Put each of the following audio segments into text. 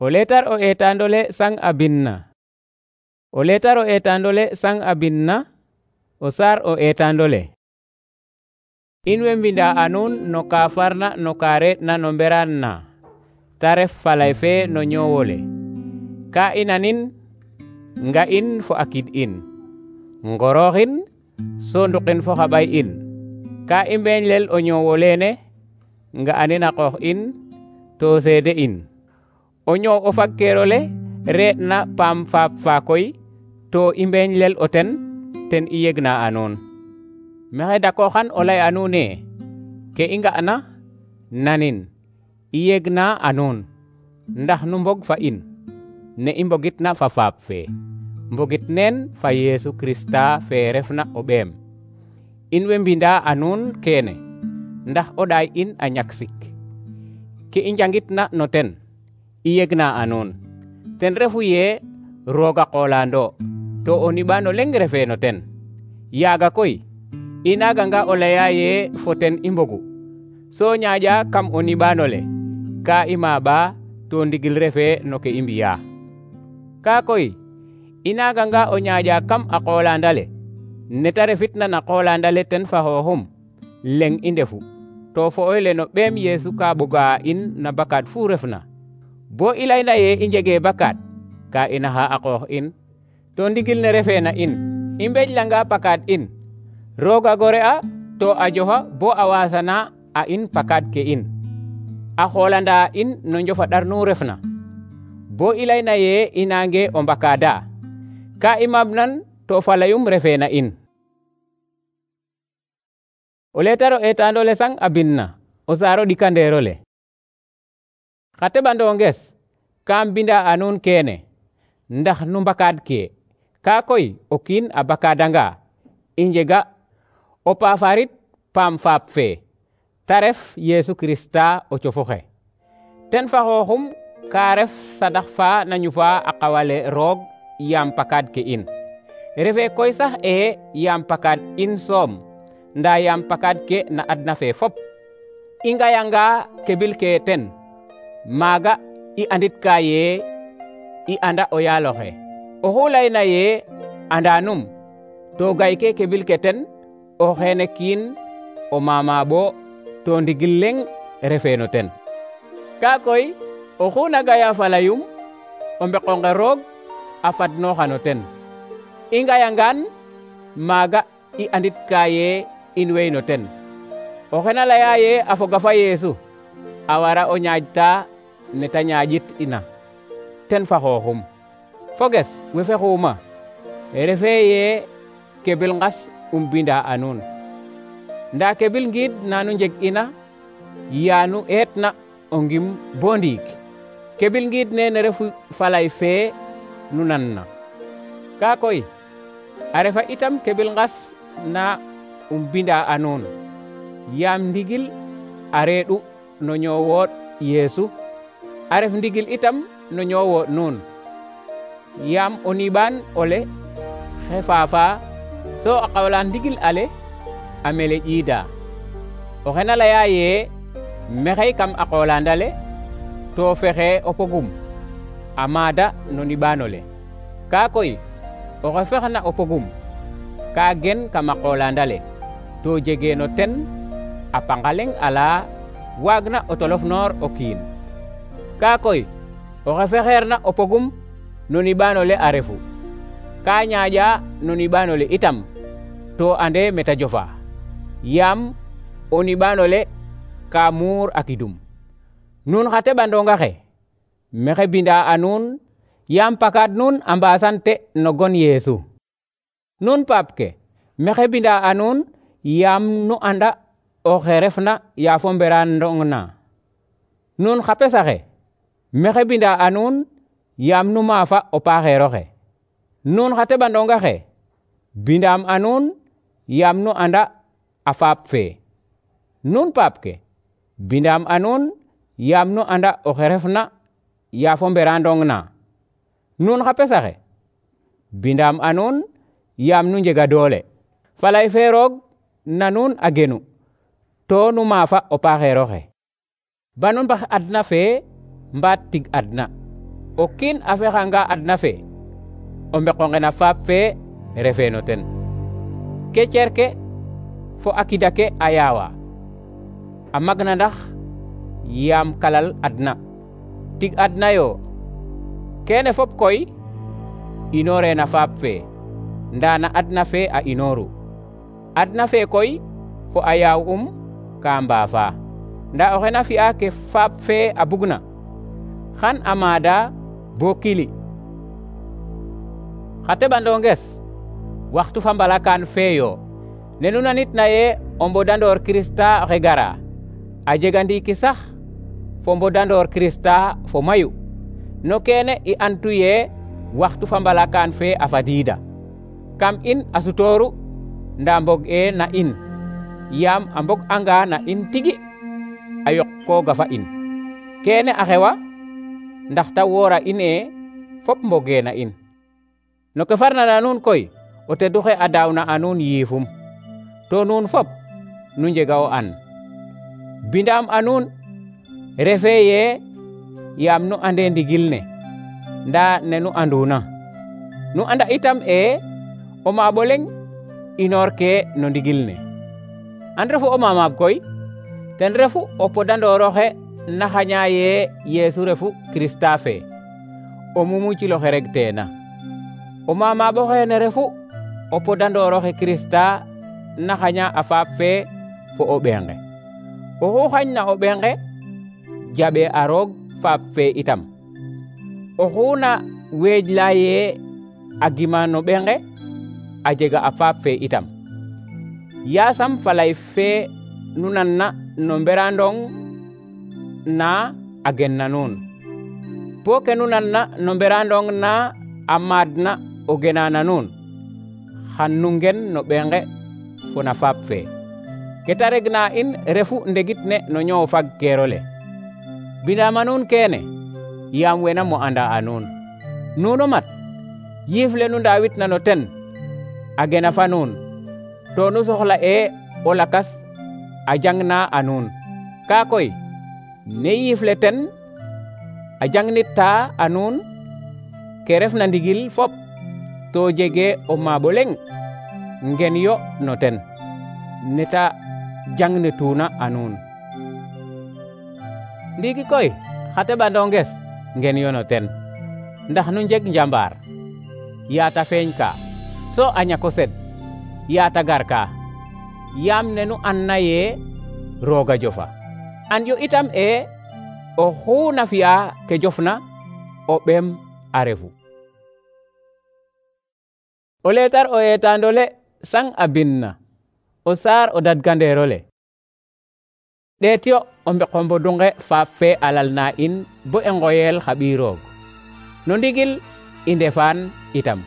O leetar o eetaandole Sang a bindna. O leetar o eetaandole Sang a bindna, o saar o eetaandole. In way mbinda a nuun no ka farna no ka re'na no mberaan na, ta ref falay fe no ñoowole. Ka i nanin, nga'in fo a kid in, ngorooxin so nduqin fo xa ɓay in. Ka i mbeñlel o ñoow olene, nga'anin a qoox in to seede in. O ñoow o fagkeerole re'na paam faap fa koy to i mbeñlel o ten i yegna a nuun. Maxey dakooxan o lay a nuun ne ke i nga'na nanin i yegna a nuun, ndax nu mbog fa in ne i mbogitna fa faap fe, mbogit neen fa Yesu Krista fe refna o ɓeem. In way mbinda a nuun kene ndax o ɗaay in a ñak sik. Ke i njangitna no ten i yegna a nuun, ten refu ye roog a qoolando to o niɓaano leŋ refe no ten. Yaaga koy i naaganga o laya ye fo ten i mbogu, so ñaaƴa kam o niɓaanole ka i maaɓa to ndigil refe no ke i mbi'aa. Ka koy i naaganga o ñaaƴa kam a qoolandale neta refitna na qoolandale ten fa xooxum, leŋ i ndefu, to fo oy no ɓeem Yesu ka ɓoga in na bakaad fu refna. Bo i layna ye i njege bakaad, ka i naxa a qoox in, to ndigil ne refe na in. I mbeƴlanga pakaad in, roog a gore a to a jofa bo a wasana a in pakaad ke in, a xoolanda in no njofaɗar nu refna. Bo i layna ye i nange o mbakaada, ka i maabnan to falayum refe na in. O leetar o eetaandole Sang a bindna, o saar o ɗikandeerole. Xa teɓandonges kam mbinda a nuun kene ndax nu mbakaad ke. Ka koy o kiin a bakaadanga, i njega o paafarit paam faap fe, ta ref Yesu Krista o cofoxe. Ten fa xooxum ka ref sadax fa na ñufa a qawale roog yaam pakaad ke in. Refe koy sax yaam pakaad in soom, nda yaam pakaad ke na adna fe fop. I ngayanga kebil ke ten, maaga i anditka ye i anda o yaaloxe. Oxu layna ye andanum to gayke kebil ke ten, o xene kiin o mamaɓo to ndigil leŋ refe no ten. Ka koy oxu na gaya falayum, o mbeqonge roog a fadnoxa no ten. I ngayangaan maaga i anditka ye in way no ten. Oxe na laya ye a foga fa Yesu a wara o ñaaƴta neta ñaaƴit ina, ten fa xooxum. Foges we fexuma refe ye kebil ngas binda a nuun, nda kebil ngiid nanu njeg ina yaanu eetna o ngim bo ndiig. Kebil ngiid nene refu falay fe nu nanna. Ka koy a refa itam kebil ngas na binda a nuun, yaam ndigil a reeɗu no ñoowoot Yesu, a ref ndigil itam no ñoowoot nuun. Yaam o niɓaan ole xe faafa, so a qawla ndigil ale a mele ƴiida. Oxe na laya ye mexey kam a qoolandale to fexe o pogum a maada no niɓaanole. Ka koy oxe fexna o pogum ka gen kam a qoolandale to jege no ten a panga leŋ ala waagna o tolofnoor o kiin. Ka koy oxe fexeerna o pogum no niɓaanole a refu, ka ñaaƴa no niɓaanole itam to ande meta jofa, yaam o niɓaanole ka muur a kidum. Nuun xa teɓandonga xe maxey binda a nuun yaam pakaad nuun a mbasante no gon Yesu. Nuun paap ke maxey binda a nuun yaam nu anda oxe refna yaafo mberandong na. Nuun xa pesa xe maxey binda a nuun yaam nu maafa o paaxeer oxe. Nuun xa teɓandonga xe bindaam a nuun yaam nu anda a faap fe. Nuun paap ke bindaam a nuun yaam nu anda oxe refna yaafo mberandong na. Nuun xa pesa xe bindaam a nuun yaam nu njega doole. Falay fe roog na nuun a genu to nu maafa o paaxeer oxe. Ba nu mbax adna fe mbaat tig adna. o kiin a fexanga adna fe o mbeqonge na faap fe refe no ten. Ke cerke fo a kida ke a yaawa a magna ndax yaam kalal adna tig adna yo. Kene fop koy inoore na faap fe nda na adna fe a inoru. Adna fe koy fo a yaaw ka mbaafa, nda oxe na fi'a ke faap fe a bugna xan a maada bo kili. Xa teɓandonges, waxtu fa mbalakaan feeyo ne nu nanitna ye o mbodandoor Kirista oxe gara a jega ndiiki sax fo mbodandoor Kirista fo mayu. No kene i antu ye waxtu fa mbalakaan fe a fadiida kam in a sutooru nda mbog e na in, yaam a mbog anga na in tigi a yokkooga fa in. Kene a xewa ndax ta woora in e fop mboge na in. No ke farna na nuun koy o tedu xe a daawna a nuun yiifum, to nuun fop nu njega o an. Bindaam a nuun refe ye yaam nu ande ndigil ne nda ne nu anduna. Nu anda itam o maabo leŋ inoor ke no ndigil ne. An refu o mamaab koy ten refu o podandooroxe na xaña ye Yeesu refu Kirista fe o mumu ciloxe reg teena. O mamaabo xene refu o podandooroxe Kirista na xaña a faap fe fo o ɓenge. Oxu xañna o ɓenge jaɓe a roog faap fe itam. Oxu na weejla ye a gima no ɓenge a jega a faap fe itam. Yaasam falay fe nu nanna no mberandong na a genna nuun, bo ke nu nanna no mberandong na a maadna o gena na nuun, xan nu ngen no ɓenge fo na faap fe. Ke ta regna in refu ndegit ne no ñoow fag keerole. Bindaama nuun kene yaam wena mo anda a nuun. Nuuno mat yiif le nu ndaawitna no ten a gena fa nuun, to nu soxla o lakas a jangna a nuun. Ka koy ne yiif le ten a jangnitta a nuun ke refna ndigil fop, to jege o maabo leŋ ngen yo no ten neta jangnituna a nuun. Ndiiki koy xa teɓandonges ngen yo no ten, ndax nu njeg njambaar yaata feeñ ka, so a ñako sed yaata gar ka, yaam ne nu anna ye rooga jofa. An yo itam oxu na fi'a ke jofna o ɓeem a refu. O leetar o eetaandole sang a binna o saar o dadgandeerole. Ɗeet yo o mbeqo mbodunge faap fe a lalna in bo i ngoyel xa ɓiy roog. No ndigil i ndefaan itam.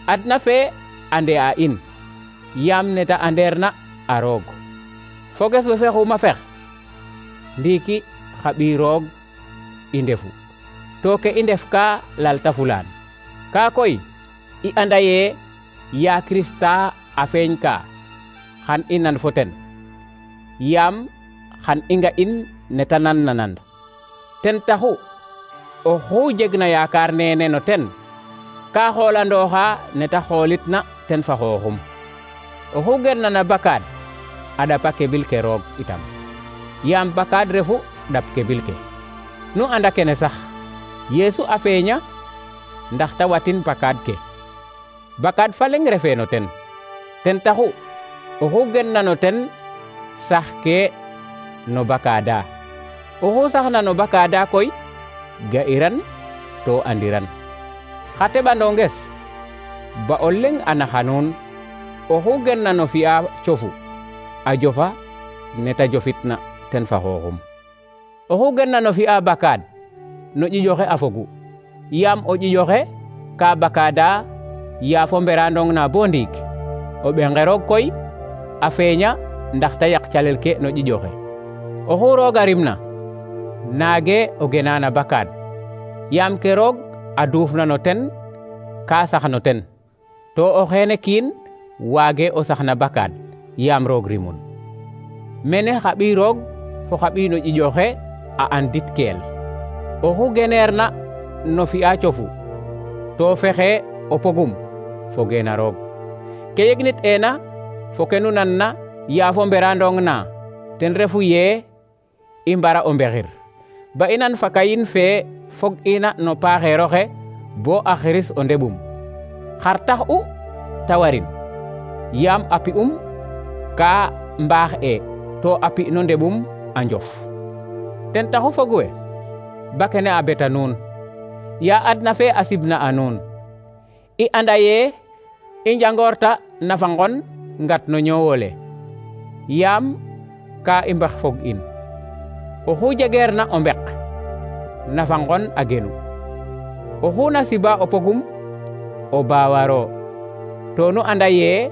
Adna fe ande a in yaam neta anderna a roog. Foges we fexuma fex ndiiki xa ɓiy roog i ndefu, to ke i ndef ka lalta fulaan. Ka koy i anda ye ya Kirista a feeñ ka xan i nan fo ten, yaam xan i nga in neta nanna nan. Ten taxu oxu jegna yaakaar nene no ten ka xoolandooxa neta xoolitna ten fa xooxum. Oxu gerna na bakaad a ɗapa kebil ke roog itam, yaam bakaad refu ɗap kebil ke. Nu anda kene sax Yeesu a feeña ndax ta watin bakaad ke. Bakaad fa leŋ refe no ten. Ten taxu oxu genna no ten sax ke no bakaada. Oxu saxna no bakaada koy ga'iran to andiran. Xa teɓandonges, ba o leŋ a naxa nuun, oxu genna no fi'a cofu a jofa neta jofitna ten fa xooxum. Oxu genna no fi'a bakaad no ƴiƴoxe a fogu, yaam o ƴiƴoxe ka bakaada yaafo mberandong na bo ndiik. O ɓenge roog koy a feeña ndax ta yaq calel ke no ƴiƴoxe. Oxu rooga rimna naage o gena na bakaad, yaam ke roog a duufna no ten ka sax no ten, to o xeene kiin waage o sax na bakaad yaam roog rimun. Mene xa ɓiy roog fo xa ɓiy no ƴiƴoxe a andit keel. Oxu geneerna no fi'a cofu to fexe o pogum foge na roog. Ke yegnit ena fo ke nu nanna yaafo mberandong na ten refu ye i mbara o mbexir ba i nan fa kayin fe fog ina no paaxeeroxe bo a xiris o ndeɓum. Xar tax'u ta warin? Yaam a pi'um ka mbaax to a pi no ndeɓum a njof. Ten taxu fog we ba kene a beta nuun ya adna fe a sibna a nuun. I anda ye i njangorta nafa ngon ngat no ñoowole yaam ka i mbex fog in. Oxu jegeerna o mbek nafa ngon a genu. Oxu na siba o pogum o baawaro to nu anda ye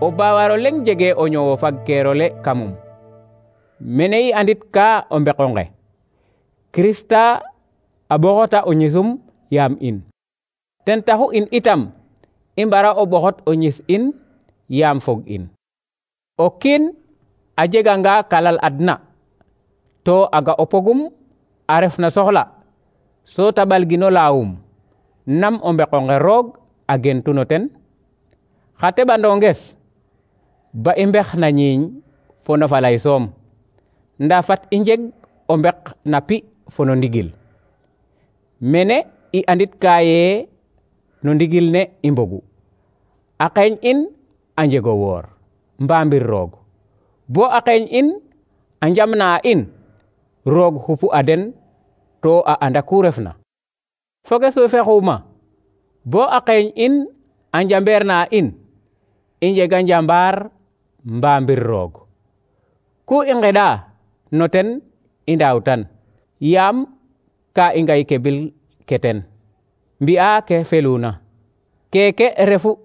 o baawaro leŋ jege o ñoowo fagkeerole kamum. Mene i andit ka o mbeqonge Krista a ɓoxota o ñisum yaam in. Ten taxu in itam i mbara o ɓoxot o ñis in yaam fog in. O kiin a jeganga kalal adna to a ga o pogum a ref na soxla so ta ɓalgino laawum nam o mbeqonge roog a gentu no ten. Xa teɓandonges ba i mbex na ñiiñ fo no falay soom nda fat i njeg o mbek na pi fo no ndigil. Mene i andit ka ye no ndigil ne i mbogu a qeeñ in a njego woor mbamir roog bo a qeeñ in a njamna in roog xupu a den to a anda ku refna. Foges we fexuma bo a qeeñ in a njambeer na in i njega njambaar mbamir roog. Ku i ngeɗa no ten i ndaawtan yaam ka i ngay kebil ke ten mbi'a ke feluna. Keke refu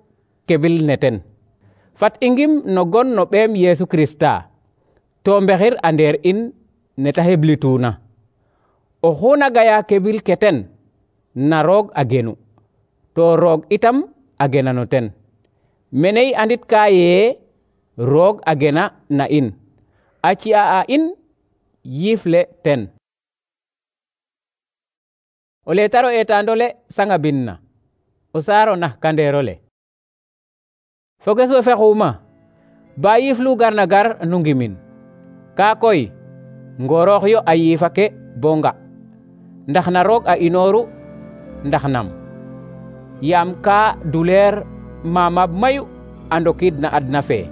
kebil ne ten. Fat i ngim no gon no ɓeem Yesu Krista to mbexir a ndeer in ne ta heblituna. Oxu na gaya kebil ke ten na roog a genu to roog itam a gena no ten. Mene i andit ka ye roog a gena na in a ci'a a in yiif le ten. O letaro etandole sanga binna o saaro na kandeerole. Foges we fexuma ba yiif lu garna gar nu ngimin ka koy ngoroox yo a yiifa ke bo nga ndax na roog a inooru ndax nam. Yaam ka duleer mamab mayu a ndokid na adna fe.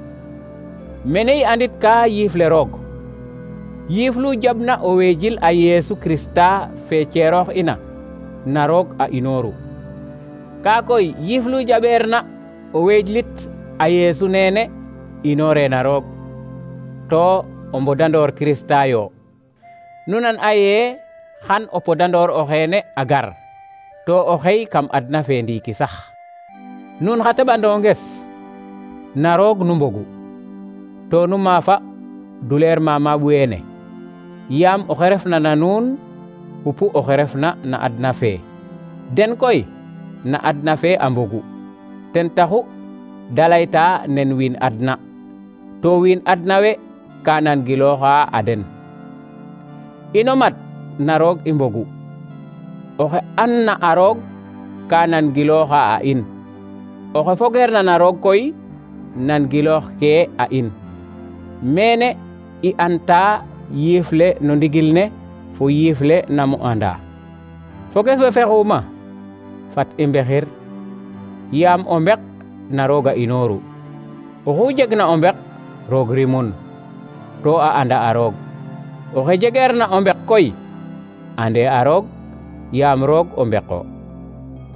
Mene i andit ka yiif le roog yiif lu jabna o weejil a Yesu Krista fe ceeroox ina na roog a inooru. Ka koy yiif lu jaɓeerna o weejlit a Yesu nene inoore na roog to o mbodandoor Krista yo. Nunan a ye xan o podandoor o xeene a gar to o xey kam adna fe ndiiki sax. Nun xa teɓandonges na roog nu mbogu to nu maafa duleer mamaab weene yaam oxe refna na nuun xupu oxe refna na adna fe. Den koy na adna fe a mbogu ten taxu da layta nen wiin adna to wiin adna we ka nan gilooxa a den. Ino mat na roog i mbogu oxe an na a roog ka nan gilooxa a in. Oxe fogeerna na roog koy nan giloox ke a in. Mene i anta yiif le no ndigil ne fo yiif le namo anda. Foges we fexuma fat i mbexir yaam o mbek na roog a inooru. Oxu jegna o mbek roog rimun to a anda a roog. Oxe jegeerna o mbek koy ande a roog yaam roog o mbeko.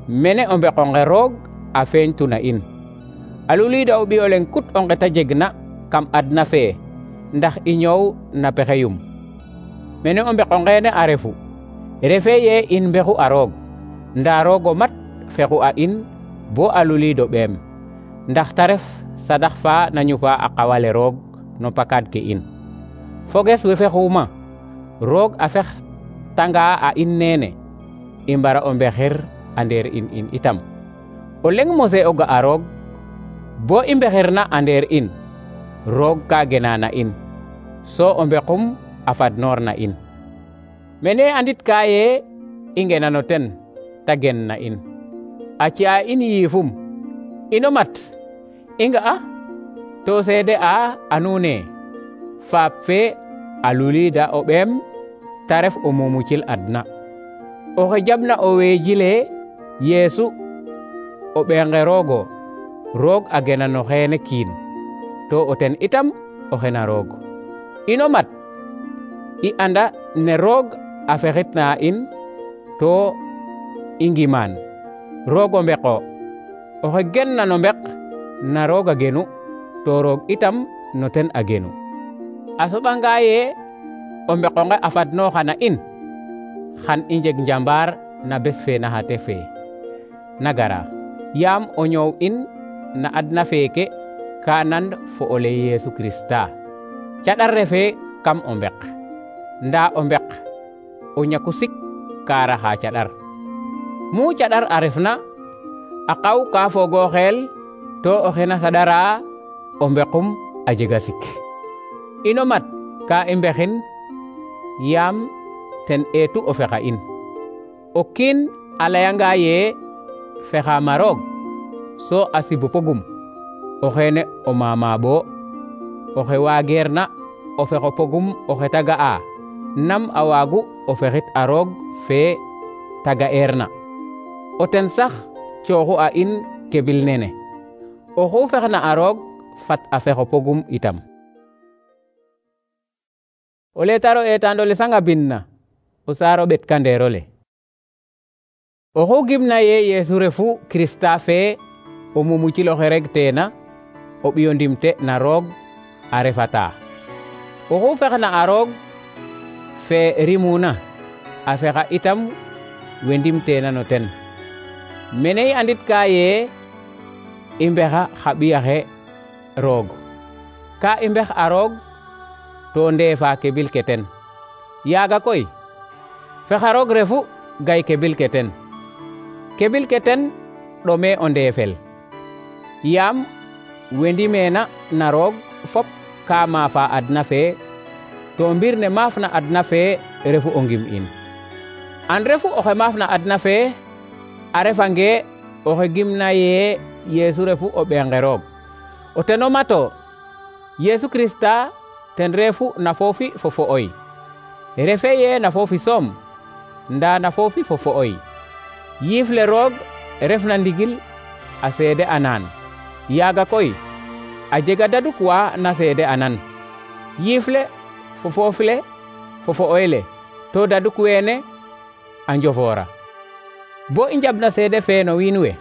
Mene o mbeqonge roog a feeñtuna in a lulida o ɓiyo leŋ kut o nqeta jegna kam adna fe ndax i ñoow na pexeyum. Mene o mbeqongeene a refu refe ye in mbexu a roog nda roog o mat fexu a in bo a lulido ɓeem ndax ta ref sadax fa na ñufa a qawale roog no pakad ke in. Foges we fexuma roog a fex tanga a in nene i mbara o mbexir a ndeer in itam. O leŋ mose o ga a roog bo i mbexirna a ndeer in roog ka gena na in so o mbequm a fadnoor na in. Mene andit ka ye i ngena no ten ta gen na in a ci'a in yiifum ino mat i nga'a to seede a nuune faap fe a lulida o ɓeem ta ref o mumucil adna oxe jaɓna o weejile Yeesu o ɓeenge roogo roog a gena no xeene kiin to o ten itam o xena roog ino mat i anda ne roog a fexitna in to i ngimaan roog o mbeko oxe genna no mbek na roog a genu to roog itam no ten a genu a soɓanga ye o mbekonge a fadnooxa na in xan i njeg njambaar na bes fe na xate fe na gara yaam o ñoow in na adna feeke ka nan fo o le Yeesu Krista caɗar refe kam o mbek nda o mbek o ñaku sik ka raxa caɗar mu caɗar a refna a qaw ka foogo xeel to o xena saɗara o mbekum a jega sik ino mat ka i mbexin yaam ten eetu o fexa in o kiin a layanga ye fexaama roog so a sibu pogum o xeene o mamaɓo oxe waageerna o fexo pogum oxe ta ga'a nam a waagu o fexit a roog fe ta ga'eerna o ten sax cooxu a in kebil nene oxu fexna a roog fat a fexo pogum itam o letaro etando le sanga binna o saaro ɓetkandeero le oxu gimna ye Yeesu refu Krista fe o mumucil oxe reg teena o ɓiyo ndimte na roog a refata oxu fexna a roog fe rimuna a fexa itam we ndimteena no ten mene i andit ka ye i mbexa xa ɓiyaxe roog ka i mbex a roog to ndeefa kebil ke ten yaaga koy fexa roog refu gay kebil ke ten kebil ke ten ɗome o ndeefel yaam we ndimeena na roog fop ka maafa adna fe to mbir ne maafna adna fe refu o ngim in an refu oxe maafna adna fe a refange oxe gimna ye Yeesu refu o ɓeenge roog o teno mato Yeesu Krista ten refu na foofi fo fo'oy refe ye na foofi soom nda na foofi fo fo'oy yiif le roog refna ndigil a seede anan yaaga koy a jega daduk wa na seede anan yiif le fo foof le fo fo'oy le to daduk weene a njofoora bo i njabna seede fe no wiin we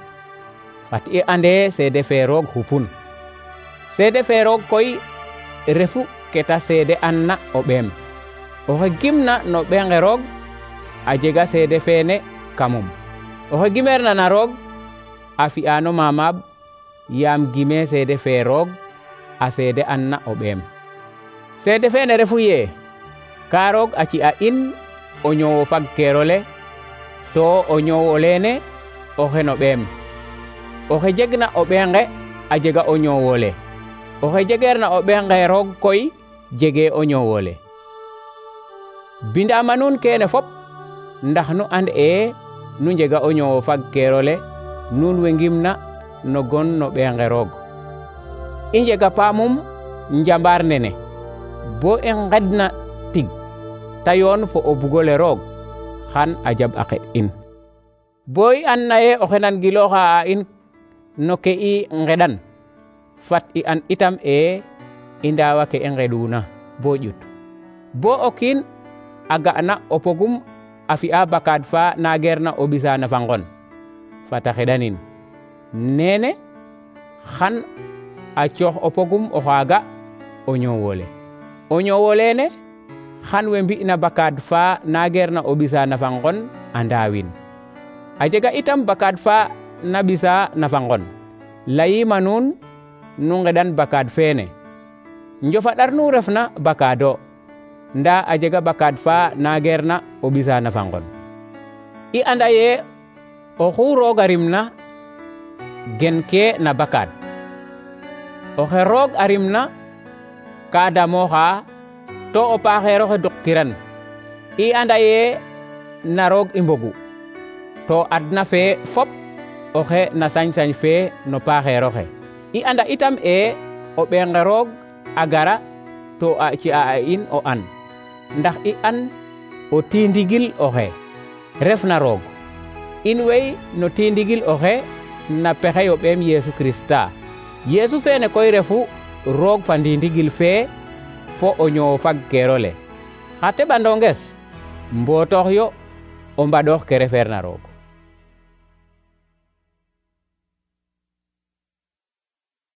fat i ande seede fe roog xupun seede fe roog koy refu keta seede anna o ɓeem oxe gimna no ɓeenge roog a jega seede feene kamum oxe gimeerna na roog a fi'ano mamaab yaam gime seede fe roog a seede anna o ɓeem seede feene refu ye ka roog a ci'a in o ñoowo fagkeero le to o ñoowo leene oxe no ɓeem oxe jegna o ɓeenge a jega o ñoowo le oxe jegeerna o ɓeenge roog koy jege o ñoowo le bindama nuun keene fop ndax nu and nu njega o ñoowo fagkeero le nuun we ngimna no gon no ɓeenge roog i njega paamum njambaar nene bo i ngedna tig ta yoon fo o bugole roog xan a jaɓ a xeɗ in bo i an naye oxe nan gilooxa a in no ke i ngeɗan fat i an itam i ndaawa ke i ngeɗuna bo ƴut bo o kiin a ga'na o pogum a fi'a bakaad fa nageerna o ɓisa na fa ngon fata xeɗanin nene xan a coox o pogum o xaaga o ñoowole o ñoowolene xan we mbi'na bakaad fa nageerna o ɓisa na fa ngon a ndaawin a jega itam bakaad fa na ɓisa na fa ngon layima nuun nu ngeɗan bakaad feene njofaɗar nu refna bakaado nda a jega bakaad fa nageerna o ɓisa na fa ngon i anda ye oxu rooga rimna gen ke na bakaad oxe roog a rimna ka damooxa to o paaxeer oxe duqkiran i anda ye na roog i mbogu to adna fe fop oxe na sañ-sañ fe no paaxeer oxe. I anda itam o ɓeenga roog a gara to a ci'a a in o an, ndax i an o tindigil oxe refna roog. In wey no tindigil oxe na pexey o ɓeem Yesu Krista. Yesu fene koy refu roog fa ndindigil fee fo o ñoow fagkeerole. Xa teɓandonges mbotoox yo o mbaɗoox ke refeerna roog.